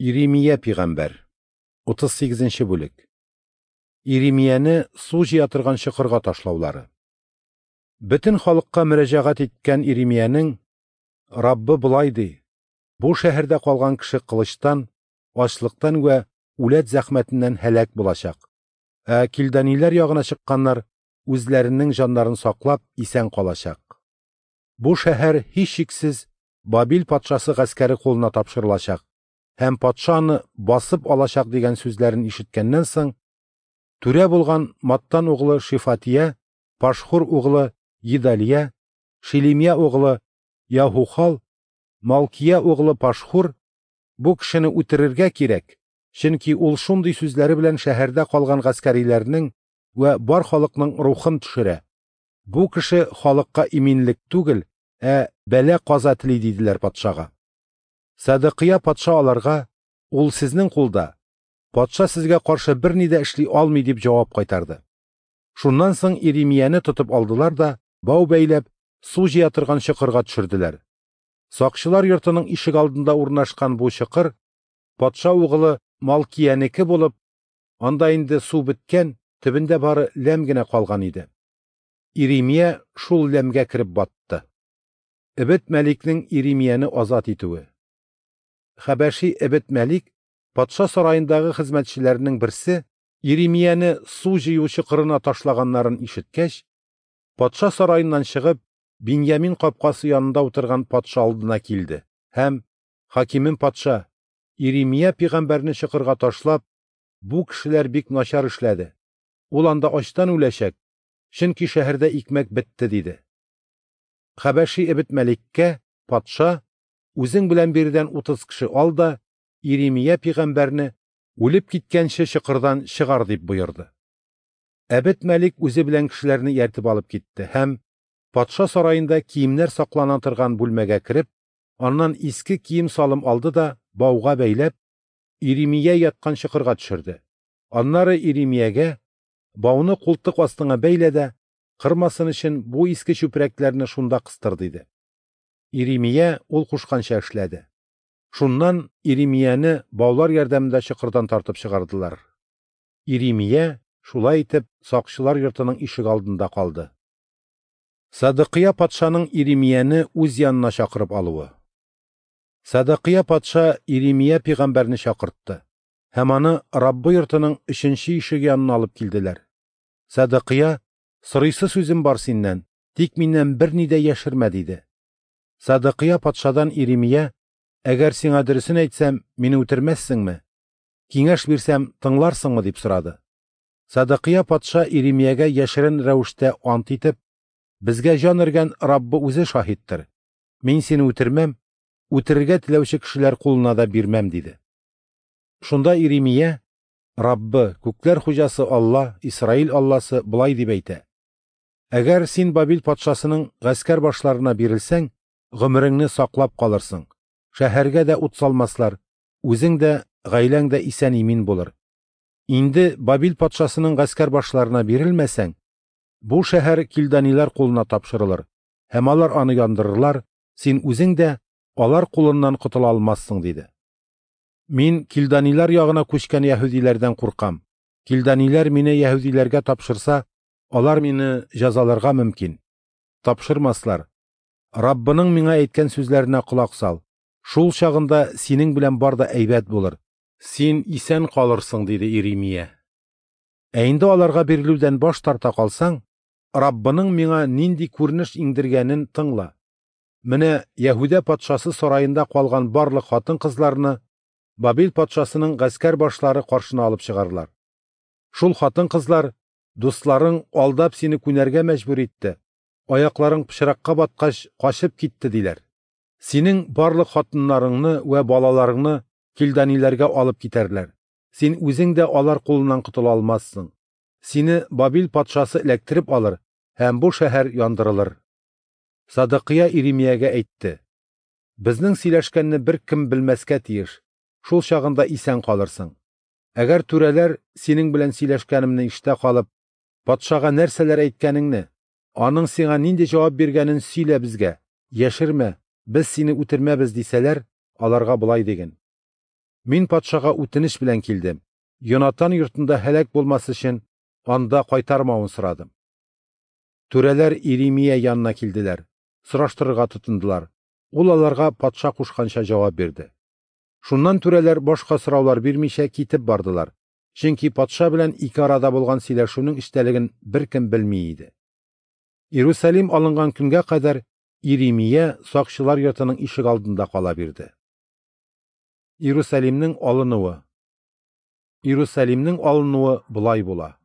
Иремия пигамбәр. 38 нче бүлек. Иремияне су җыя торган чокырга ташлаулары. Бөтен халыкка мөрәҗәгать иткән Иремиянең: Раббы болай ди: Бу шәһәрдә калган кеше кылычтан, ачлыктан вә үләт зәхмәтеннән һәлак булачак. Ә килданиләр ягына чыкканнар үзләренең җаннарын саклап исән калачак. Бу шәһәр һичшиксез Бабил патшасы гаскәре кулына тапшырылачак һәм патша аны басып алачак дигән сүзләрен ишеткәннән соң, түрә булган Маттан углы Шифатия, Пашхур углы Едалия, Шилимия углы Яһухал, Малкия углы Пашхур бу кешене үтерергә кирәк, чөнки ул шундый сүзләре белән шәһәрдә калган гаскәриләрнең вә бар халыкның рухын төшерә. Бу кеше халыкка иминлек түгел, ә бәла-каза тели, диделәр патшага. Садыкыя патша аларга: "Ул сезнең кулда. Патша сезгә каршы берни дә эшли алмый", дип җавап кайтарды. Шуннан соң Иремияне тотып алдылар да, бау бәйләп, су җыя торган чокырга төшерделәр. Сакчылар йортының ишек алдында урнашкан бу чокыр патша угылы Малкиянеке булып, анда инде су беткән, төбендә бары ләм генә калган иде. Иремия шул ләмгә кереп батты. Эбет Мәликнең Иремияне азат итүе. Хәбәши Эбет Мәлик, патша сараендагы хезмәтчеләренең берсе, Иремияне су җыю чокырына ташлаганнарын ишеткәч, патша сараеннан чыгып, Биньямин капкасы янында утырган патша алдына килде һәм: "Хакимем патша, Иремия пигамбәрне чокырга ташлап, бу кешеләр бик начар эшләде. Ул анда ачтан үләчәк, чөнки шәһәрдә икмәк бетте", диде. Хәбәши Эбет Мәликкә патша: "Үзең белән биредән 30 кеше ал да Иремия пигамбәрне үлеп киткәнче чокырдан чыгар", дип боерды. Әбет Мәлик үзе белән кешеләрне ияртеп алып китте һәм патша сараенда киемнәр саклана торган бүлмәгә кереп, аннан иске кием-салым алды да бауга бәйләп, Иремия яткан чокырга төшерде. Аннары Иремиягә: "Бауны култык астыңа бәйлә дә, кырмасын өчен бу иске чүпрәкләрне шунда кыстыр", диде. Иремия ул кушканча эшләде. Шуннан Иремияне баулар ярдәмендә чокырдан тартып чыгардылар. Иремия шулай итеп сакчылар йортының ишек алдында калды. Садыкыя патшаның Иремияне үз янына чакырып алуы. Садыкыя патша Иремия пигамбәрне чакыртты һәм аны Раббы йортының 3-нче ишеге янына алып килделәр. Садыкыя: "Сорыйсы сүзем бар синнән, тик миннән берни дә яшермә", диде. Садыкыя патшадан Иремия: "Әгәр сиңа дөресен әйтсәм, мине үтермәссеңме? Киңәш бирсәм, тыңларсыңмы?" дип сорады. Садыкыя патша Иремиягә яшерен рәвештә ант итеп: "Безгә җан өргән Раббы үзе шаһиттыр. Мин сине үтермәм, үтерергә теләүче кешеләр кулына да бирмәм", диде. Шунда Иремия: "Раббы, күкләр хуҗасы Алла, Исраил Алласы болай дип әйтә: Әгәр син Бабил патшасының гаскәр башларына бирелсәң, гомереңне саклап калырсың, шәһәргә дә ут салмаслар, үзең дә, гаиләң дә исән-имин булыр. Инде Бабил патшасының гаскәр башларына бирелмәсәң, бу шәһәр килданилар кулына тапшырылыр, һәм алар аны яндырырлар, син үзең дә алар кулыннан котыла алмассың", диде. "Мин килданилар ягына күчкән яһүдиләрдән куркам. Килданиләр мине яһүдиләргә тапшырса, алар мине җәзаларга мөмкин. Тапшырмаслар. Раббының миңа әйткән сүзләренә колак сал. Шул чагында синең белән бар да әйбәт булыр. Син исән калырсың", диде Иремия. "Ә инде аларга бирелүдән баш тарта калсаң, Раббының миңа нинди күренеш иңдергәнен тыңла. Менә Яһүдә патшасы сараенда калган барлык хатын-кызларны Бабил патшасының гаскәр башлары каршына алып чыгарлар. Шул хатын-кызлар: дусларың алдап сине күнәргә мәҗбүр итте, аякларың пычракка баткач качып китте, диләр. Синең барлык хатыннарыңны вә балаларыңны килданиләргә алып китәрләр. Син үзең дә алар кулыннан котыла алмассың. Сине Бабил патшасы эләктереп алыр, һәм бу шәһәр яндырылыр". Садыкыя Иремиягә әйтте: "Безнең сөйләшкәнне беркем белмәскә тиеш, шул чагында исән калырсың. Әгәр түрәләр синең белән сөйләшкәнемне ишетә калып, патшага нәрсәләр әйткәнеңне, аның сиңа нинди җавап биргәнен сөйлә безгә, яшермә, без сине үтермәбез, дисәләр, аларга болай диген: Мин патшага үтенеч белән килдем, Йонатан йортында һәлак булмас өчен, анда кайтармавын сорадым. Түрәләр Иремия янына килделәр, сораштырырга тотындылар. Ул аларга патша кушканча җавап бирде. Шуннан түрәләр башка сораулар бирмичә китеп бардылар, чөнки патша белән ике арада булган сөйләшүнең эчтәлеген беркем белми иде. Иерусалим алынган көнгә кадәр Иремия сакчылар йортының ишегалдында кала бирде. Иерусалимнең алынуы. Иерусалимнең алынуы болай була.